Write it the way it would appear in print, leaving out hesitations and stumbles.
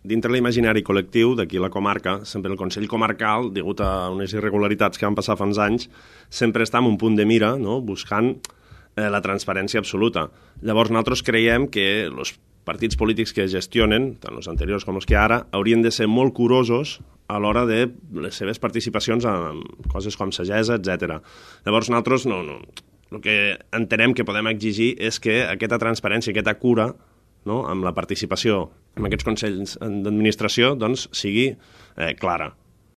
dintre l'imaginari col·lectiu d'aquí la comarca, sempre el Consell Comarcal, degut a unes irregularitats que van passar fa uns anys, sempre està en un punt de mira, no?, buscant la transparència absoluta. Llavors nosaltres creiem que els partits polítics que gestionen, tant els anteriors com els que ara, haurien de ser molt curosos a l'hora de les seves participacions en coses com sagessa, etc. Llavors nosaltres el que entenem que podem exigir és que aquesta transparència, aquesta cura, no?, amb la participació en aquests consells d'administració, doncs, sigui clara.